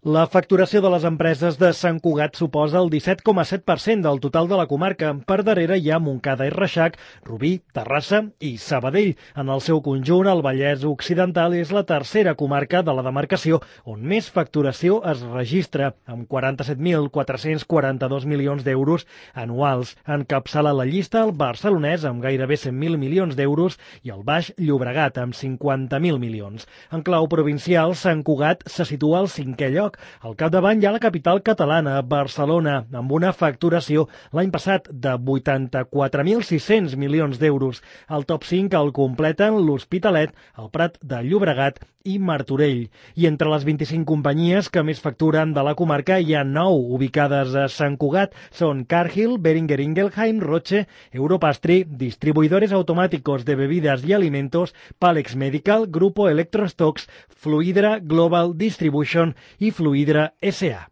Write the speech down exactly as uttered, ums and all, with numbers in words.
La facturació de les empreses de Sant Cugat suposa el disset coma set per cent del total de la comarca. Per darrere hi ha Montcada i Reixac, Rubí, Terrassa i Sabadell. En el seu conjunt, el Vallès Occidental és la tercera comarca de la demarcació on més facturació es registra, amb quaranta-set mil quatre-cents quaranta-dos milions d'euros anuals. Encapçala la llista el barcelonès amb gairebé cent mil milions d'euros i el Baix Llobregat amb cinquanta mil milions. En clau provincial, Sant Cugat se situa al cinquè lloc. Al capdavant hi ha la capital catalana, Barcelona, amb una facturació l'any passat de vuitanta-quatre mil sis-cents milions d'euros. El top cinc el completen l'Hospitalet, el Prat de Llobregat i Martorell. I entre les vint-i-cinc companyies que més facturen de la comarca hi ha nou ubicades a Sant Cugat. Són Cargill, Beringer Ingelheim, Roche, Europastry, Distribuidores Automáticos de Bebidas y Alimentos, Palex Medical, Grupo Electrostocks, Fluidra Global Distribution i Fluidra S A